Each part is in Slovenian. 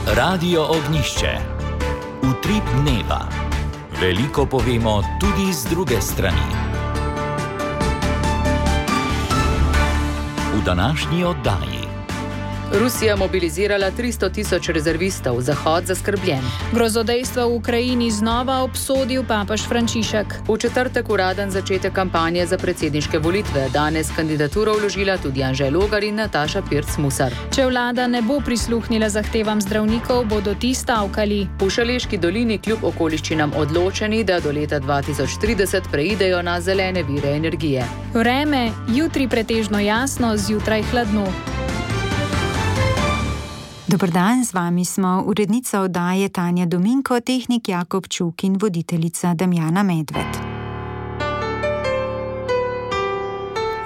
Radio Ognišče. Utrip dneva. Veliko povemo tudi z druge strani. V današnji oddaji. Rusija mobilizirala 300.000 rezervistov, Zahod zaskrbljen. Grozodejstva v Ukrajini znova obsodil papež Frančišek. V četrtek uraden začetek kampanje za predsedniške volitve. Danes kandidaturo vložila tudi Anže Logar in Nataša Pirc Musar. Če vlada ne bo prisluhnila zahtevam zdravnikov, bodo ti stavkali. V Šaleški dolini kljub okoliščinam odločeni, da do leta 2030 preidejo na zelene vire energije. Vreme, jutri pretežno jasno, zjutraj hladno. Dober dan, z vami smo urednica oddaje Tanja Dominko, tehnik Jakob Čuk in voditeljica Damjana Medved.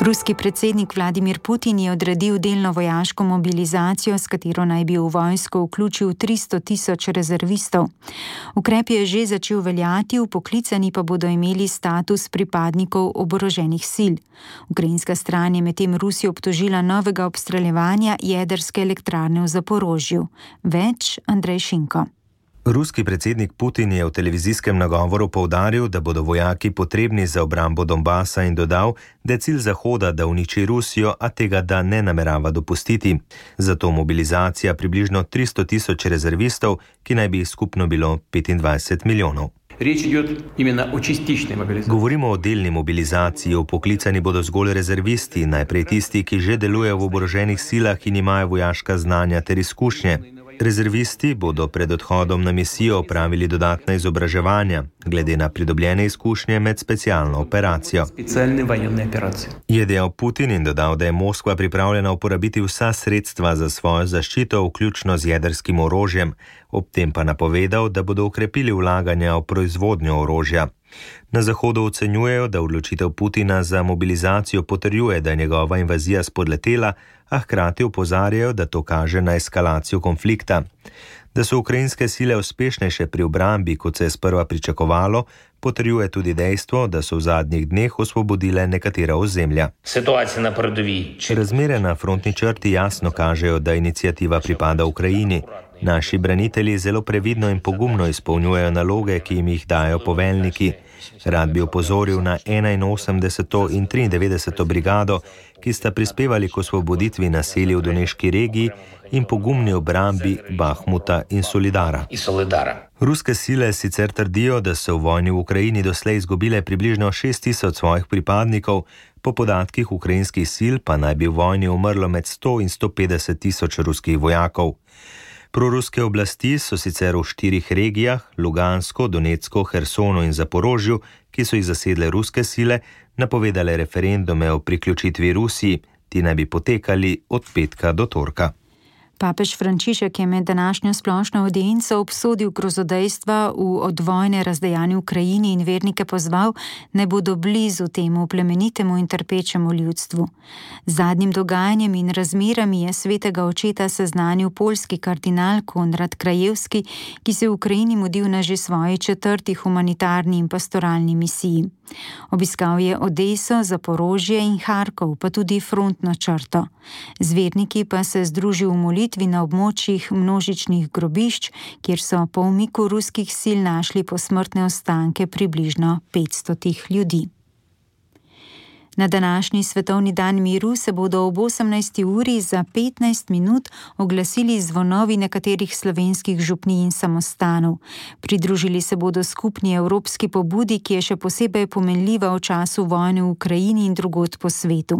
Ruski predsednik Vladimir Putin je odredil delno vojaško mobilizacijo, s katero naj bi v vojsko vključil 300.000 rezervistov. Ukrep je že začel veljati, vpoklicani pa bodo imeli status pripadnikov oboroženih sil. Ukrajinska stran je medtem Rusijo obtožila novega obstreljevanja jedrske elektrarne v Zaporožju. Več Andrej Šinko. Ruski predsednik Putin je v televizijskem nagovoru poudaril, da bodo vojaki potrebni za obrambo Donbasa in dodal, da je cilj Zahoda, da uniči Rusijo, a tega da ne namerava dopustiti. Zato mobilizacija približno 300.000 rezervistov, ki naj bi skupno bilo 25 milijonov. Govorimo o delni mobilizaciji, vpoklicani bodo zgolj rezervisti, najprej tisti, ki že delujejo v oboroženih silah in imajo vojaška znanja ter izkušnje. Rezervisti bodo pred odhodom na misijo opravili dodatna izobraževanja, glede na pridobljene izkušnje med specialno operacijo. Je dejal Putin in dodal, da je Moskva pripravljena uporabiti vsa sredstva za svojo zaščito, vključno z jedrskim orožjem, ob tem pa napovedal, da bodo ukrepili vlaganja v proizvodnjo orožja. Na Zahodu ocenjujejo, da odločitev Putina za mobilizacijo potrjuje, da je njegova invazija spodletela, a hkrati opozarjajo, da to kaže na eskalacijo konflikta. Da so ukrajinske sile uspešnejše pri obrambi, kot se je sprva pričakovalo, potrjuje tudi dejstvo, da so v zadnjih dneh osvobodile nekatera ozemlja. Razmere na frontni črti jasno kažejo, da iniciativa pripada Ukrajini. Naši branitelji zelo previdno in pogumno izpolnjujejo naloge, ki jim jih dajo poveljniki. Rad bi opozoril na 81. in 93. brigado, ki sta prispevali k osvoboditvi naselij v Doneški regiji in pogumni obrambi Bahmuta in Solidara. Ruske sile sicer trdijo, da so v vojni v Ukrajini doslej izgubile približno 6.000 svojih pripadnikov, po podatkih ukrajinskih sil pa naj bi v vojni umrlo med 100 in 150.000 ruskih vojakov. Proruske oblasti so sicer v 4 regijah, Lugansko, Donetsko, Hersonu in Zaporožju, ki so jih zasedle ruske sile, napovedale referendume o priključitvi Rusiji. Ti naj bi potekali od petka do torka. Papež Frančišek je med današnjo splošno audienco obsodil grozodejstva v odvojne razdejani Ukrajini in vernike pozval, naj bodo blizu temu plemenitemu in trpečemu ljudstvu. Z zadnjim dogajanjem in razmerami je svetega očeta seznanil poljski kardinal Konrad Krajewski, ki se v Ukrajini mudil na že svoji 4. humanitarni in pastoralni misiji. Obiskal je Odeso, Zaporožje in Harkov, pa tudi frontno črto. Z verniki pa se združil v molitvi na območjih množičnih grobišč, kjer so po umiku ruskih sil našli posmrtne ostanke približno 500 ljudi. Na današnji svetovni dan miru se bodo ob 18. uri za 15 minut oglasili zvonovi nekaterih slovenskih župnij in samostanov. Pridružili se bodo skupni evropski pobudi, ki je še posebej pomenljiva v času vojne v Ukrajini in drugod po svetu.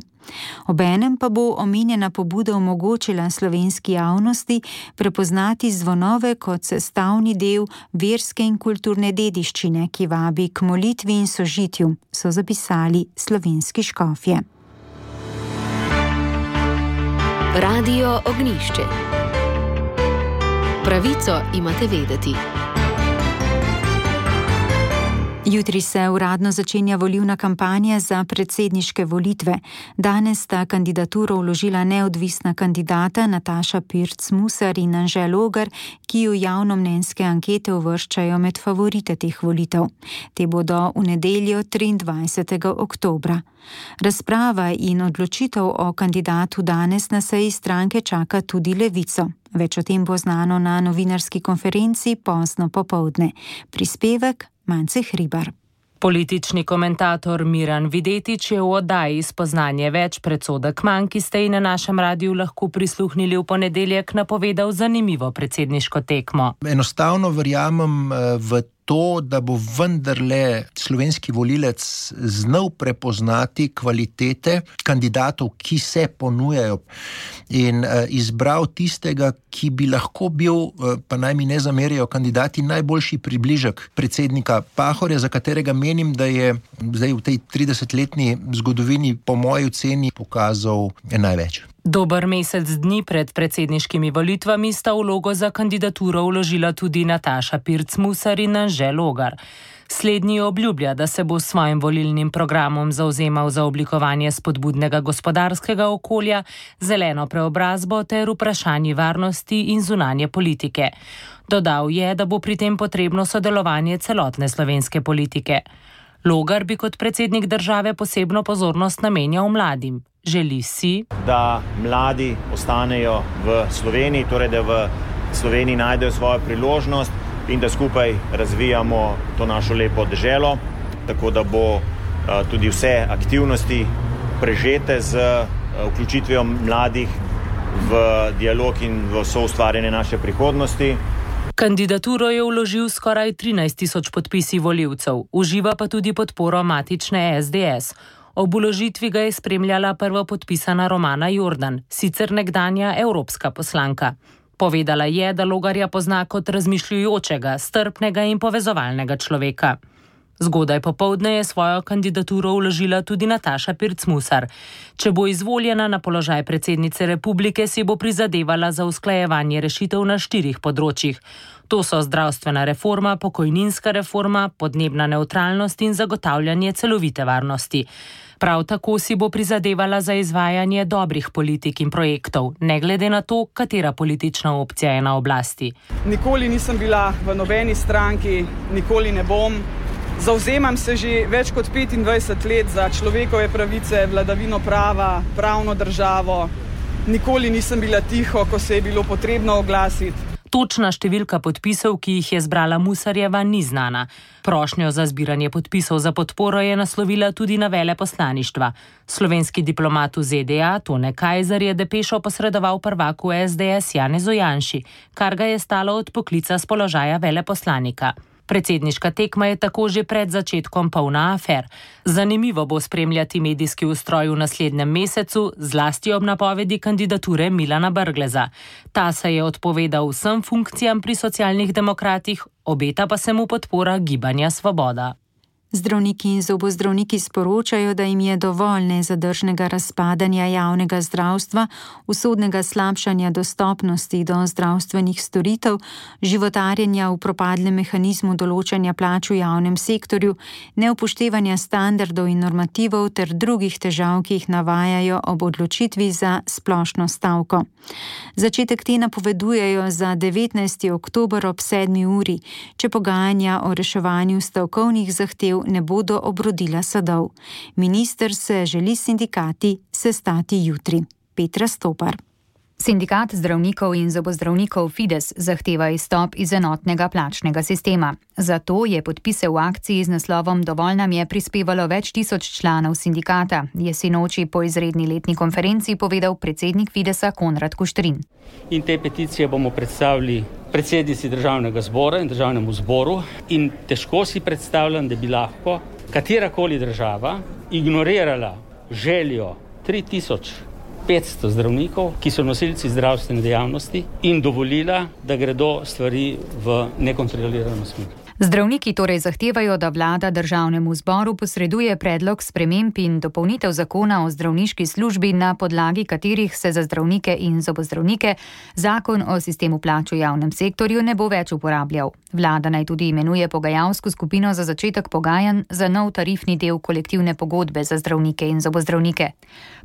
Obenem pa bo omenjena pobuda omogočila slovenski javnosti prepoznati zvonove kot sestavni del verske in kulturne dediščine, ki vabi k molitvi in sožitju, so zapisali slovenski škofje. Radio Ognišče. Pravico imate vedeti. Jutri se uradno začenja volilna kampanja za predsedniške volitve. Danes sta kandidaturo vložila neodvisna kandidata Nataša Pirc Musar in Anže Logar, ki jo javnomnenjske ankete uvrščajo med favorite teh volitev. Te bodo v nedeljo 23. oktobra. Razprava in odločitev o kandidatu danes na seji stranke čaka tudi Levico. Več o tem bo znano na novinarski konferenci pozno popoldne. Prispevek Mance Hribar. Politični komentator Miran Videtič je v oddaji Spoznanje več predsodek manj, ki ste ji na našem radiju lahko prisluhnili v ponedeljek, napovedal zanimivo predsedniško tekmo. Enostavno verjamem v to, da bo vendarle slovenski volilec znal prepoznati kvalitete kandidatov, ki se ponujajo, in izbral tistega, ki bi lahko bil, pa naj mi ne zamerijo kandidati, najboljši približek predsednika Pahorja, za katerega menim, da je zdaj v tej 30-letni zgodovini po moji oceni pokazal največ. Dober mesec dni pred predsedniškimi volitvami sta vlogo za kandidaturo vložila tudi Nataša Pirc Musar in Anže Logar. Slednji obljublja, da se bo s svojim volilnim programom zavzemal za oblikovanje spodbudnega gospodarskega okolja, zeleno preobrazbo ter vprašanji varnosti in zunanje politike. Dodal je, da bo pri tem potrebno sodelovanje celotne slovenske politike. Logar bi kot predsednik države posebno pozornost namenjal mladim. Želi si, da mladi ostanejo v Sloveniji, torej da v Sloveniji najdejo svojo priložnost in da skupaj razvijamo to našo lepo deželo, tako da bo tudi vse aktivnosti prežete z vključitvijo mladih v dialog in v soustvarjanje naše prihodnosti. Kandidaturo je vložil skoraj 13.000 podpisi volivcev, uživa pa tudi podporo matične SDS. Ob vložitvi ga je spremljala prvopodpisana Romana Jordan, sicer nekdanja evropska poslanka. Povedala je, da Logarja pozna kot razmišljujočega, strpnega in povezovalnega človeka. Zgodaj popoldne je svojo kandidaturo vložila tudi Nataša Pirc Musar. Če bo izvoljena na položaj predsednice republike, si bo prizadevala za usklajevanje rešitev na 4 področjih. To so zdravstvena reforma, pokojninska reforma, podnebna nevtralnost in zagotavljanje celovite varnosti. Prav tako si bo prizadevala za izvajanje dobrih politik in projektov, ne glede na to, katera politična opcija je na oblasti. Nikoli nisem bila v nobeni stranki, nikoli ne bom. Zavzemam se že več kot 25 let za človekove pravice, vladavino prava, pravno državo. Nikoli nisem bila tiho, ko se je bilo potrebno oglasiti. Točna številka podpisov, ki jih je zbrala Musarjeva, ni znana. Prošnjo za zbiranje podpisov za podporo je naslovila tudi na veleposlaništva. Slovenski diplomat v ZDA Tone Kajzer je depešo posredoval prvaku SDS Janezu Janši, kar ga je stalo od poklica z položaja veleposlanika. Predsedniška tekma je tako že pred začetkom polna afer. Zanimivo bo spremljati medijski ustroj v naslednjem mesecu, zlasti ob napovedi kandidature Milana Brgleza. Ta se je odpovedal vsem funkcijam pri Socialnih demokratih, obeta pa se mu podpora Gibanja Svoboda. Zdravniki in zobozdravniki sporočajo, da jim je dovolj nezadržnega razpadanja javnega zdravstva, usodnega slabšanja dostopnosti do zdravstvenih storitev, životarjenja v propadlem mehanizmu določanja plač v javnem sektorju, neupoštevanja standardov in normativov ter drugih težav, ki jih navajajo ob odločitvi za splošno stavko. Začetek te napovedujejo za 19. oktober ob 7. uri, če pogajanja o reševanju stavkovnih zahtev ne bodo obrodila sadov. Minister se želi s sindikati sestati jutri. Petra Stopar. Sindikat zdravnikov in zobozdravnikov Fides zahteva izstop iz enotnega plačnega sistema. Zato je podpise v akciji z naslovom Dovolj nam je prispevalo več tisoč članov sindikata, je sinoči po izredni letni konferenci povedal predsednik Fidesa Konrad Kuštrin. In te peticije bomo predstavili predsednici Državnega zbora in Državnemu zboru in težko si predstavljam, da bi lahko katerakoli država ignorirala željo 3500 zdravnikov, ki so nosilci zdravstvene dejavnosti in dovolila, da gredo stvari v nekontrolirano smer. Zdravniki torej zahtevajo, da vlada Državnemu zboru posreduje predlog sprememb in dopolnitev zakona o zdravniški službi, na podlagi katerih se za zdravnike in zobozdravnike zakon o sistemu plač v javnem sektorju ne bo več uporabljal. Vlada naj tudi imenuje pogajalsko skupino za začetek pogajanj za nov tarifni del kolektivne pogodbe za zdravnike in zobozdravnike.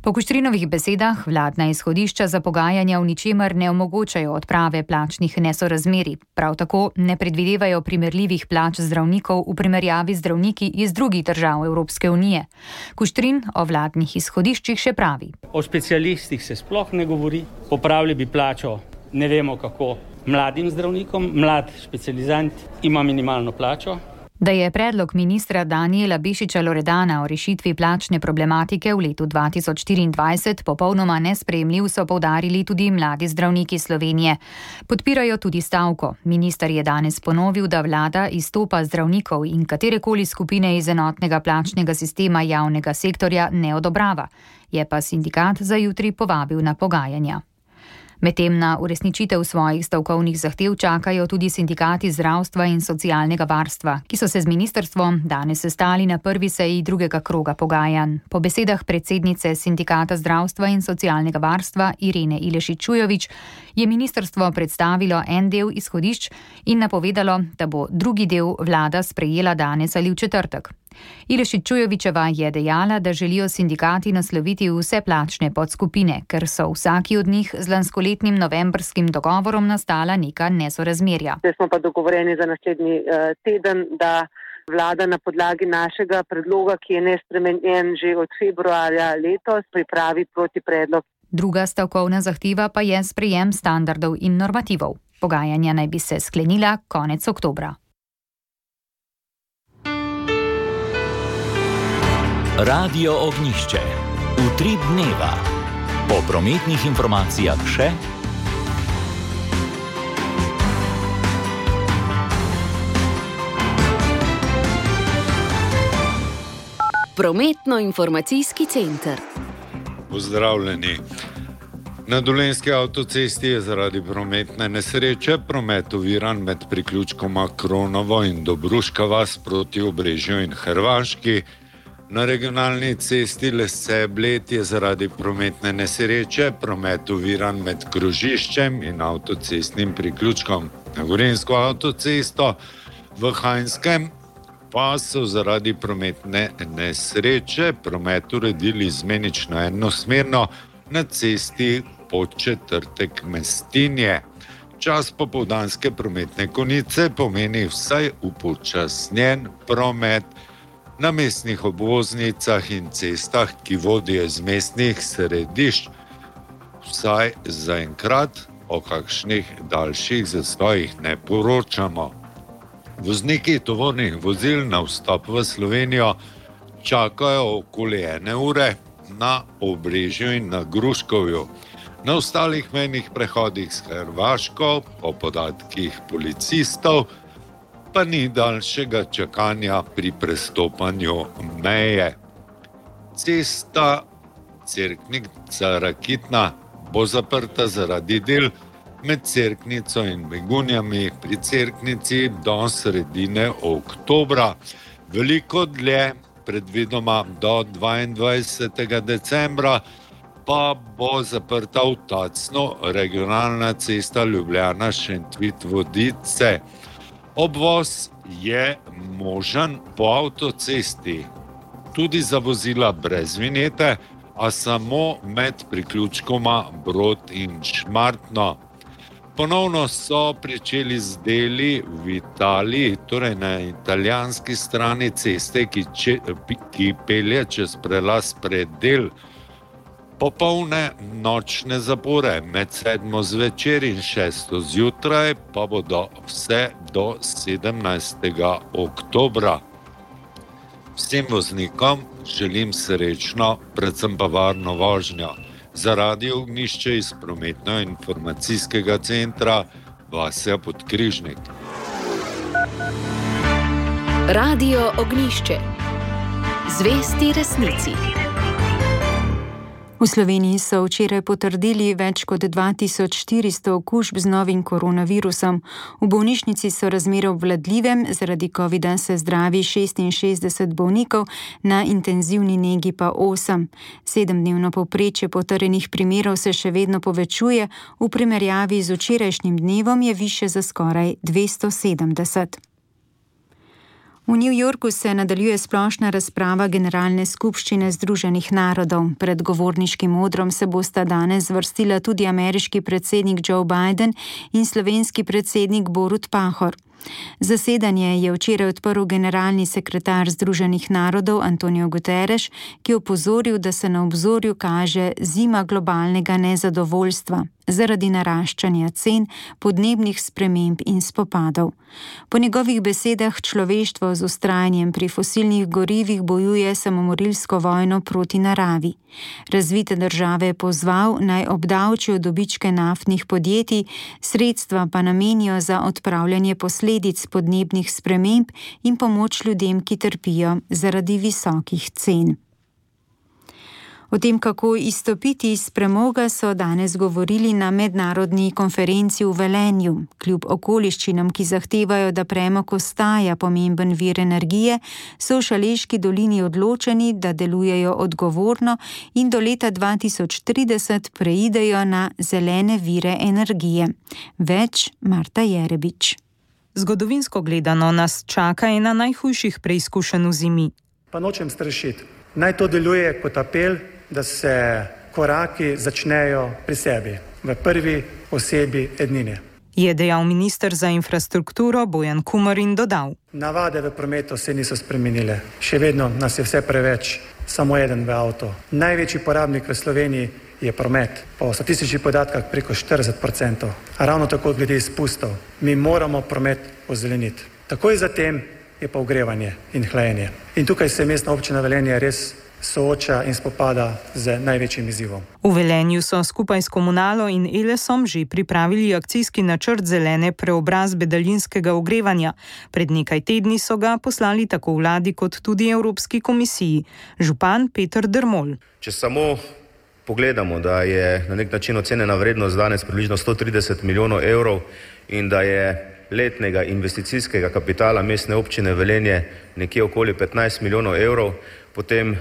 Po Kuštrinovih besedah vladna izhodišča za pogajanja v ničemer ne omogočajo odprave plačnih nesorazmerij. Prav tako ne predvidevajo primerljivih plač zdravnikov v primerjavi z zdravniki iz drugih držav Evropske unije. Kuštrin o vladnih izhodiščih še pravi. O specialistih se sploh ne govori, popravili bi plačo ne vemo kako. Mladim zdravnikom, mlad specializant ima minimalno plačo. Da je predlog ministra Danijela Bešiča Loredana o rešitvi plačne problematike v letu 2024 popolnoma nesprejemljiv, so poudarili tudi mladi zdravniki Slovenije. Podpirajo tudi stavko. Minister je danes ponovil, da vlada izstopa zdravnikov in katerekoli skupine iz enotnega plačnega sistema javnega sektorja ne odobrava. Je pa sindikat za jutri povabil na pogajanja. Medtem na uresničitev svojih stavkovnih zahtev čakajo tudi sindikati zdravstva in socialnega varstva, ki so se z ministrstvom danes sestali na prvi seji drugega kroga pogajanj. Po besedah predsednice sindikata zdravstva in socialnega varstva Irene Ilešič-Čujovič je ministrstvo predstavilo en del izhodišč in napovedalo, da bo drugi del vlada sprejela danes ali v četrtek. Ilešič-Čujovičeva je dejala, da želijo sindikati nasloviti vse plačne podskupine, ker so vsaki od njih z lanskoletnim novembrskim dogovorom nastala neka nesorazmerja. Zdaj smo pa dogovoreni za naslednji teden, da vlada na podlagi našega predloga, ki je nespremenjen že od februarja letos, pripravi protipredlog. Druga stavkovna zahteva pa je sprejem standardov in normativov. Pogajanja naj bi se sklenila konec oktobra. Radio Ognjišče. Utrip dneva. Po prometnih informacijah še. Prometno-informacijski center. Pozdravljeni. Na Dolenjski avtocesti je zaradi prometne nesreče promet oviran med priključkoma Kronovo in Dobruška vas proti Obrežju in Hrvaški. Na regionalni cesti Lesce-Bled je zaradi prometne nesreče promet oviran med krožiščem in avtocestnim priključkom. Na Gorenjsko avtocesto v Hajnskem pa so zaradi prometne nesreče promet uredili izmenično enosmerno na cesti Podčetrtek-Mestinje. Čas popoldanske prometne konice pomeni vsaj upočasnjen promet na mestnih obvoznicah in cestah, ki vodijo iz mestnih središč, vsaj zaenkrat o kakšnih daljših zastojih ne poročamo. Vozniki tovornih vozil na vstop v Slovenijo čakajo okoli 1 ure na Obrežju in na Gruškovju. Na ostalih mejnih prehodih s Hrvaško, po podatkih policistov, pa ni daljšega čakanja pri prestopanju meje. Cesta Cerknica-Rakitna bo zaprta zaradi del med Cerknico in Begunjami pri Cerknici do sredine oktobra. Veliko dlje, predvidoma do 22. decembra, pa bo zaprta v Tacnu regionalna cesta Ljubljana-Šentvid-Vodice. Obvoz je možen po avtocesti, tudi za vozila brez vinjete, a samo med priključkoma Brod in Šmartno. Ponovno so pričeli z deli v Italiji, torej na italijanski strani ceste, ki pelje čez prelaz Predel. Popolne nočne zapore med 7. zvečer in 6. zjutraj pa bodo vse do 17. oktobra. Vsem voznikom želim srečno, predvsem pa varno vožnjo. Za Radio Ognjišče iz prometno-informacijskega centra Vasja Podkrižnik. Radio Ognjišče. Zvesti resnici. V Sloveniji so včeraj potrdili več kot 2400 okužb z novim koronavirusom. V bolnišnici so razmere obvladljive, zaradi covida se zdravi 66 bolnikov, na intenzivni negi pa 8. 7-dnevno povprečje potrjenih primerov se še vedno povečuje, v primerjavi z včerajšnjim dnevom je višje za skoraj 270. V New Yorku se nadaljuje splošna razprava Generalne skupščine Združenih narodov. Pred govorniškim odrom se bosta danes zvrstila tudi ameriški predsednik Joe Biden in slovenski predsednik Borut Pahor. Zasedanje je včeraj odprl generalni sekretar Združenih narodov Antonio Guterres, ki je opozoril, da se na obzorju kaže zima globalnega nezadovoljstva zaradi naraščanja cen, podnebnih sprememb in spopadov. Po njegovih besedah človeštvo z vztrajanjem pri fosilnih gorivih bojuje samomorilsko vojno proti naravi. Razvite države je pozval, naj obdavčijo dobičke naftnih podjetij, sredstva pa namenijo za odpravljanje posledic podnebnih sprememb in pomoč ljudem, ki trpijo zaradi visokih cen. O tem, kako izstopiti iz premoga, so danes govorili na mednarodni konferenci v Velenju. Kljub okoliščinam, ki zahtevajo, da premog ostaja pomemben vir energije, so v Šaleški dolini odločeni, da delujejo odgovorno in do leta 2030 preidejo na zelene vire energije. Več Marta Jerebič. Zgodovinsko gledano nas čaka ena najhujših preizkušenj v zimi. Pa nočem strašiti. Naj to deluje kot apel, da se koraki začnejo pri sebi, v prvi osebi ednine. Je dejal minister za infrastrukturo Bojan Kumer in dodal. Navade v prometu se niso spremenile. Še vedno nas je vse preveč, samo eden v avto. Največji porabnik v Sloveniji je promet. Po statističnih podatkah preko 40%. A ravno tako glede izpustov. Mi moramo promet ozeleniti. Takoj zatem je pa ogrevanje in hlajenje. In tukaj se mestna občina Velenje res sooča in spopada z največjim izzivom. V Velenju so skupaj s Komunalo in Elesom že pripravili akcijski načrt zelene preobrazbe daljinskega ogrevanja. Pred nekaj tedni so ga poslali tako vladi kot tudi Evropski komisiji. Župan Peter Dermol. Če samo pogledamo, da je na nek način ocenjena vrednost danes približno 130 milijonov evrov in da je letnega investicijskega kapitala mestne občine Velenje nekje okoli 15 milijonov evrov, potem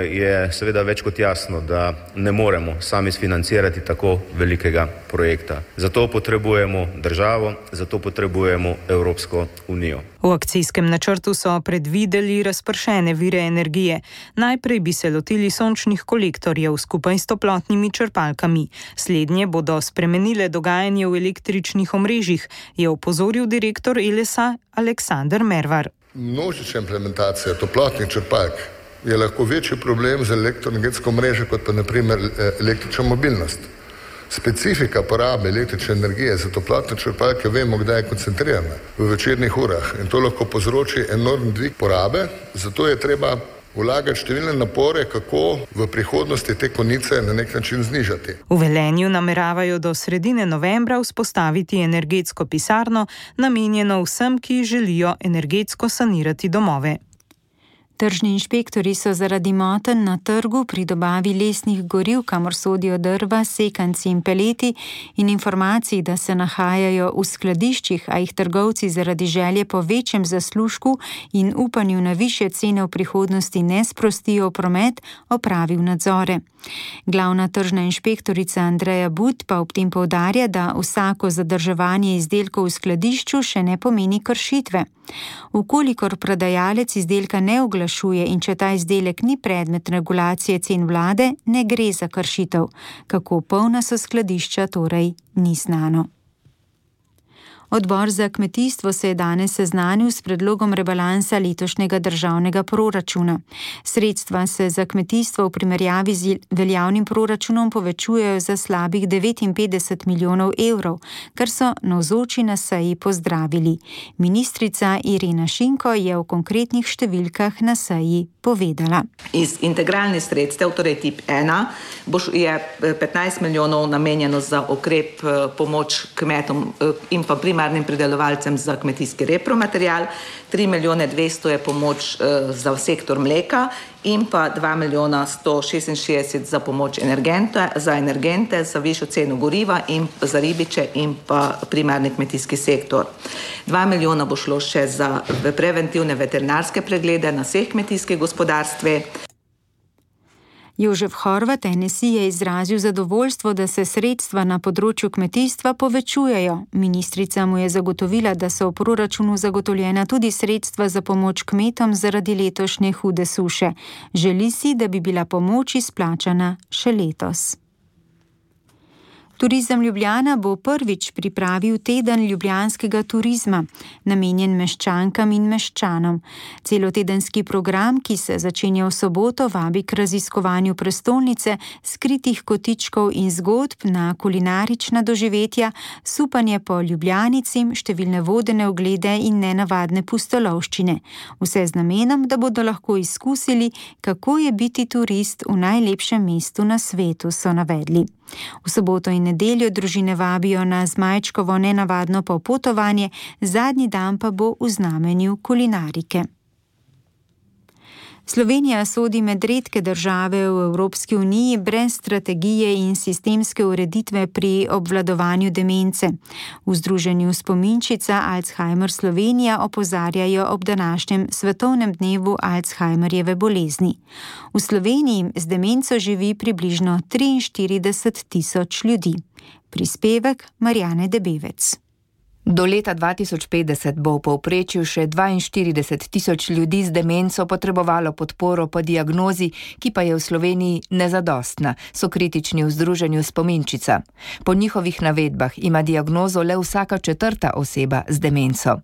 je seveda več kot jasno, da ne moremo sami sfinancirati tako velikega projekta. Zato potrebujemo državo, zato potrebujemo Evropsko unijo. V akcijskem načrtu so predvideli razpršene vire energije. Najprej bi se lotili sončnih kolektorjev skupaj s toplotnimi črpalkami. Slednje bodo spremenile dogajanje v električnih omrežjih, je opozoril direktor Elesa Aleksander Mervar. Množična implementacija toplotnih črpalk je lahko večji problem za elektroenergetsko mrežo kot pa naprimer električna mobilnost. Specifika porabe električne energije za toplotne črpalke vemo, kdaj je koncentrirana, v večernih urah, in to lahko povzroči enormni dvig porabe, zato je treba vlagati številne napore, kako v prihodnosti te konice na nek način znižati. V Velenju nameravajo do sredine novembra vzpostaviti energetsko pisarno, namenjeno vsem, ki želijo energetsko sanirati domove. Tržni inšpektori so zaradi motenj na trgu pri dobavi lesnih goriv, kamor sodijo drva, sekanci in peleti, in informacij, da se nahajajo v skladiščih, a jih trgovci zaradi želje po večjem zaslužku in upanju na višje cene v prihodnosti ne sprostijo v promet, opravil nadzore. Glavna tržna inšpektorica Andreja But pa ob tem poudarja, da vsako zadrževanje izdelkov v skladišču še ne pomeni kršitve. Ukolikor prodajalec izdelka ne oglašuje in če ta izdelek ni predmet regulacije cen vlade, ne gre za kršitev. Kako polna so skladišča, torej ni znano. Odbor za kmetijstvo se je danes seznanil s predlogom rebalansa letošnjega državnega proračuna. Sredstva se za kmetijstvo v primerjavi z veljavnim proračunom povečujejo za slabih 59 milijonov evrov, kar so navzoči na seji pozdravili. Ministrica Irena Šinko je o konkretnih številkah na seji povedala. Iz integralnih sredstev, torej tip 1, je 15 milijonov namenjeno za ukrep pomoč kmetom in pa primarnim pridelovalcem za kmetijski repromaterial, 3 milijone 200 je pomoč za sektor mleka in pa 2 milijona 166 za pomoč za energente, za višjo ceno goriva in za ribiče in pa primarni kmetijski sektor. 2 milijona bo šlo še za preventivne veterinarske preglede na vseh kmetijskih gospodarstvih. Jožef Horvat NSI je izrazil zadovoljstvo, da se sredstva na področju kmetijstva povečujejo. Ministrica mu je zagotovila, da so v proračunu zagotovljena tudi sredstva za pomoč kmetom zaradi letošnje hude suše. Želi si, da bi bila pomoč izplačana še letos. Turizem Ljubljana bo prvič pripravil teden ljubljanskega turizma, namenjen meščankam in meščanom. Celotedenski program, ki se začenja v soboto, vabi k raziskovanju prestolnice, skritih kotičkov in zgodb na kulinarična doživetja, supanje po Ljubljanici, številne vodene oglede in nenavadne pustolovščine. Vse z namenom, da bodo lahko izkusili, kako je biti turist v najlepšem mestu na svetu, so navedli. V soboto in nedeljo družine vabijo na Zmajčkovo nenavadno popotovanje, zadnji dan pa bo v znamenju kulinarike. Slovenija sodi med redke države v Evropski uniji brez strategije in sistemske ureditve pri obvladovanju demence. V združenju Spominčica Alzheimer Slovenija opozarjajo ob današnjem svetovnem dnevu Alzheimerjeve bolezni. V Sloveniji z demenco živi približno 43.000 ljudi. Prispevek Marjane Debevec. Do leta 2050 bo v povprečju še 42.000 ljudi z demenco potrebovalo podporo po diagnozi, ki pa je v Sloveniji nezadostna, so kritični v združenju Spominčica. Po njihovih navedbah ima diagnozo le vsaka 4. oseba z demenco.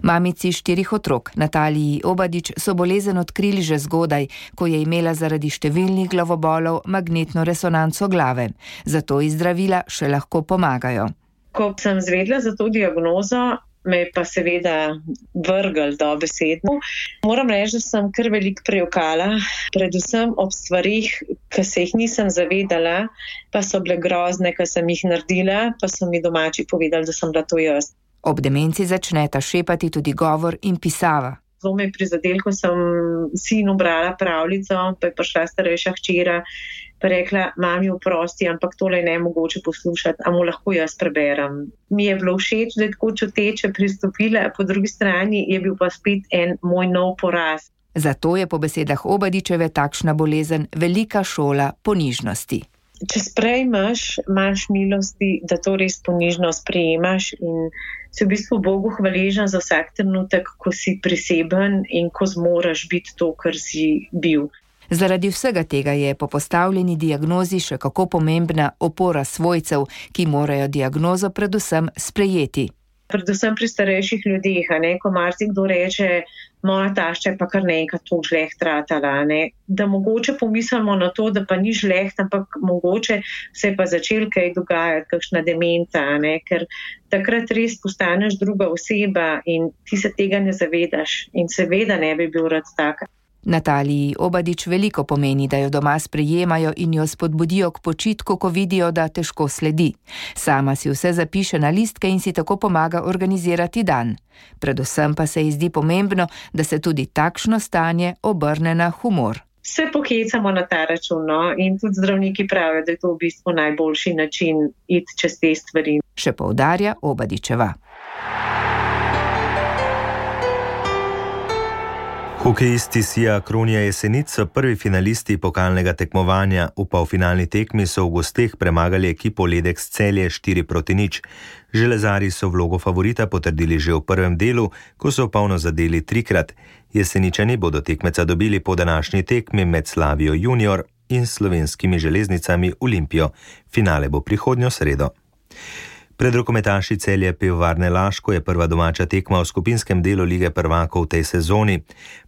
Mamici 4 otrok, Nataliji Obadič, so bolezen odkrili že zgodaj, ko je imela zaradi številnih glavobolov magnetno resonanco glave. Zato ji zdravila še lahko pomagajo. Ko sem zvedela za to diagnozo, me je pa seveda vrgel dobesedno. Moram reči, da sem kar veliko prejokala, predvsem ob stvarih, ki se jih nisem zavedala, pa so bile grozne, ki sem jih naredila, pa so mi domači povedali, da sem bila to jaz. Ob demenci začneta šepati tudi govor in pisava. Zelo me je prizadel, ko sem sinu brala pravljico, pa je prišla starejša hčera, pa rekla, mami, oprosti, ampak tole je nemogoče poslušati, a mu lahko jaz preberem. Mi je bilo všeč, da je tako čuteče pristopila, po drugi strani je bil pa spet en moj nov poraz. Zato je po besedah Obadičeve takšna bolezen velika šola ponižnosti. Če sprejmeš, imaš milosti, da to res ponižno sprejemaš in si v bistvu Bogu hvaležen za vsak trenutek, ko si priseben in ko zmoraš biti to, kar si bil. Zaradi vsega tega je po postavljeni diagnozi še kako pomembna opora svojcev, ki morajo diagnozo predvsem sprejeti. Predvsem pri starejših ljudeh, ko marsikdo reče, moja tašča je pa kar nekaj to žleht ratala, da mogoče pomislimo na to, da pa ni žleht, ampak mogoče se je pa začel kaj dogajati, kakšna demenca, ker takrat res postaneš druga oseba in ti se tega ne zavedaš in seveda ne bi bil rad taka. Nataliji Obadič veliko pomeni, da jo doma sprejemajo in jo spodbudijo k počitku, ko vidijo, da težko sledi. Sama si vse zapiše na listke in si tako pomaga organizirati dan. Predvsem pa se ji zdi pomembno, da se tudi takšno stanje obrne na humor. Se pohecamo na ta račun, in tudi zdravniki pravijo, da je to v bistvu najboljši način iti čez te stvari. Še poudarja Obadičeva. Hokejisti Sija Kronija Jesenic so prvi finalisti pokalnega tekmovanja. V polfinalni tekmi so v gosteh premagali ekipo Ledex Celje 4-0. Železarji so vlogo favorita potrdili že v prvem delu, ko so polno zadeli 3-krat. Jeseničani bodo tekmeca dobili po današnji tekmi med Slavijo Junior in Slovenskimi železnicami Olimpijo. Finale bo prihodnjo sredo. Pred rokometaši Celje Pivovarne Laško je prva domača tekma v skupinskem delu Lige prvakov v tej sezoni.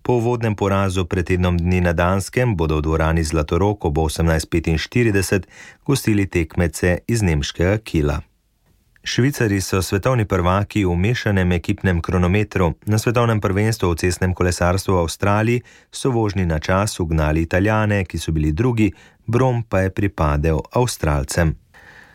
Po uvodnem porazu pred tednom dni na Danskem bodo v dvorani Zlatorog ob 18:45 gostili tekmece iz nemškega Kiela. Švicari so svetovni prvaki v mešanem ekipnem kronometru. Na svetovnem prvenstvu v cestnem kolesarstvu v Avstraliji so vožnji na čas ugnali Italijane, ki so bili drugi, bron pa je pripadel Avstralcem.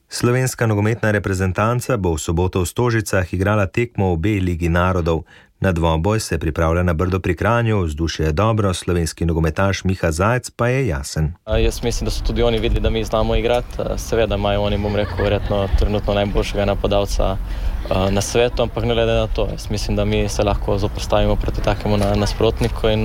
Slovenska nogometna reprezentanca bo v soboto v Stožicah igrala tekmo v B Ligi narodov. Na dvoboj se pripravlja na Brdo pri Kranju, vzdušje je dobro, slovenski nogometaš Miha Zajec pa je jasen. Jaz mislim, da so tudi oni videli, da mi znamo igrati. Seveda imajo oni, bom rekel, verjetno trenutno najboljšega napadalca na svetu, ampak ne glede na to. Jaz mislim, da mi se lahko zoperstavimo proti takemu nasprotniku in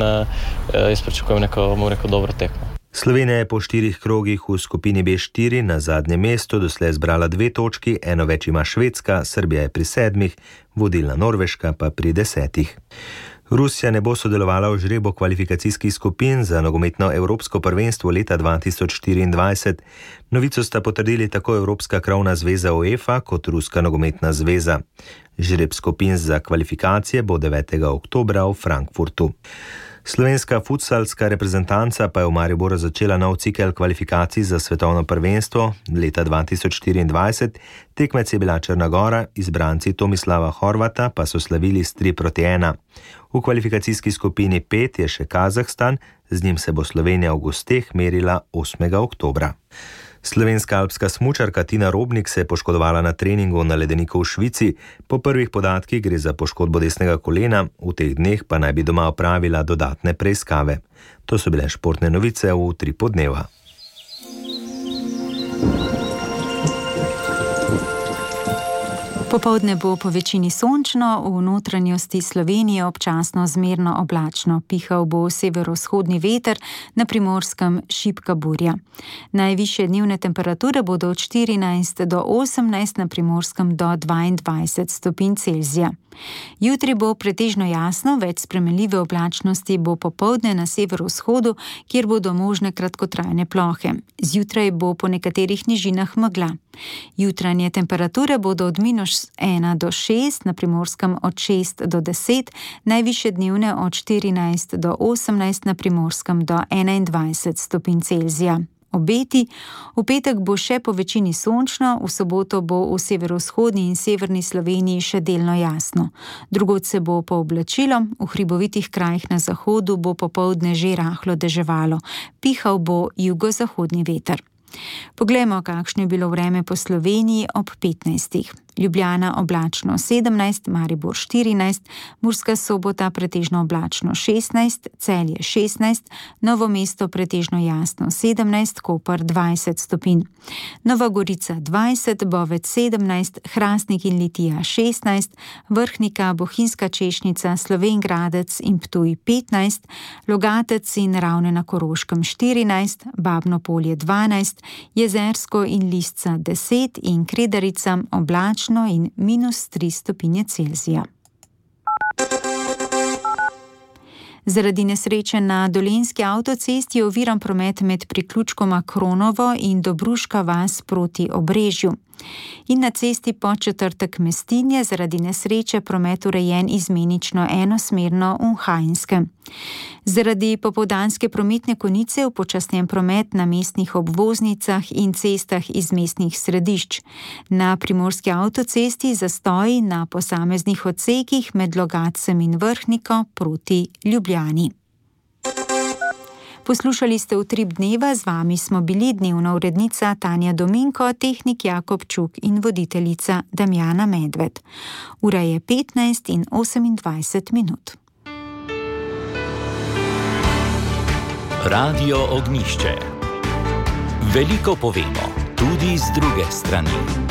jaz pričakujem neko, bom rekel, dobro tekmo. Slovenija je po 4 krogih v skupini B4 na zadnjem mestu doslej zbrala 2 točki, eno več ima Švedska, Srbija je pri 7, vodilna Norveška pa pri 10. Rusija ne bo sodelovala v žrebu kvalifikacijskih skupin za nogometno Evropsko prvenstvo leta 2024. Novico sta potrdili tako Evropska krovna zveza UEFA kot Ruska nogometna zveza. Žreb skupin za kvalifikacije bo 9. oktobra v Frankfurtu. Slovenska futsalska reprezentanca pa je v Mariboru začela nov cikel kvalifikacij za svetovno prvenstvo leta 2024. Tekmec je bila Črna Gora, izbranci Tomislava Horvata pa so slavili s 3-1. V kvalifikacijski skupini 5 je še Kazahstan, z njim se bo Slovenija v gosteh merila 8. oktobra. Slovenska alpska smučarka Tina Robnik se je poškodovala na treningu na ledeniku v Švici. Po prvih podatkih gre za poškodbo desnega kolena, v teh dneh pa naj bi doma opravila dodatne preiskave. To so bile športne novice v Utripu dneva. Popoldne bo po večini sončno, v notranjosti Slovenije občasno zmerno oblačno. Pihal bo severovzhodni veter, na Primorskem šibka burja. Najvišje dnevne temperature bodo od 14 do 18, na Primorskem do 22 stopinj Celzija. Jutri bo pretežno jasno, več spremenljive oblačnosti bo popoldne na severovzhodu, kjer bodo možne kratkotrajne plohe. Zjutraj bo po nekaterih nižinah megla. Jutranje temperature bodo od -1 do 6, na Primorskem od 6 do 10, najvišje dnevne od 14 do 18, na Primorskem do 21 stopinj Celzija. Obeti. V petek bo še po večini sončno, v soboto bo v severovzhodni in severni Sloveniji še delno jasno. Drugod se bo pooblačilo, v hribovitih krajih na zahodu bo popoldne že rahlo deževalo. Pihal bo jugozahodni veter. Poglejmo, kakšno je bilo vreme po Sloveniji ob 15. Ljubljana oblačno 17, Maribor 14, Murska Sobota pretežno oblačno 16, Celje 16, Novo mesto pretežno jasno 17, Koper 20 stopinj. Nova Gorica 20, Bovec 17, Hrastnik in Litija 16, Vrhnika, Bohinjska Češnica, Slovenj Gradec in Ptuj 15, Logatec in Ravne na Koroškem 14, Babno Polje 12, Jezersko in Lisca 10 in Kredarica oblačno in -3 stopinje Celzija. Zaradi nesreče na Dolenjski avtocesti je oviran promet med priključkoma Kronovo in Dobruška vas proti Obrežju. In na cesti Podčetrtek Mestinje zaradi nesreče promet urejen izmenično enosmerno v Hajnskem. Zaradi popoldanske prometne konice upočasnjen promet na mestnih obvoznicah in cestah iz mestnih središč. Na Primorski avtocesti zastoji na posameznih odsekih med Logatcem in Vrhniko proti Ljubljani. Poslušali ste Utrip dneva, z vami smo bili dnevna urednica Tanja Dominko, tehnik Jakob Čuk in voditeljica Damjana Medved. Ura je 15:28 minut. Radio Ognjišče. Veliko povemo, tudi z druge strani.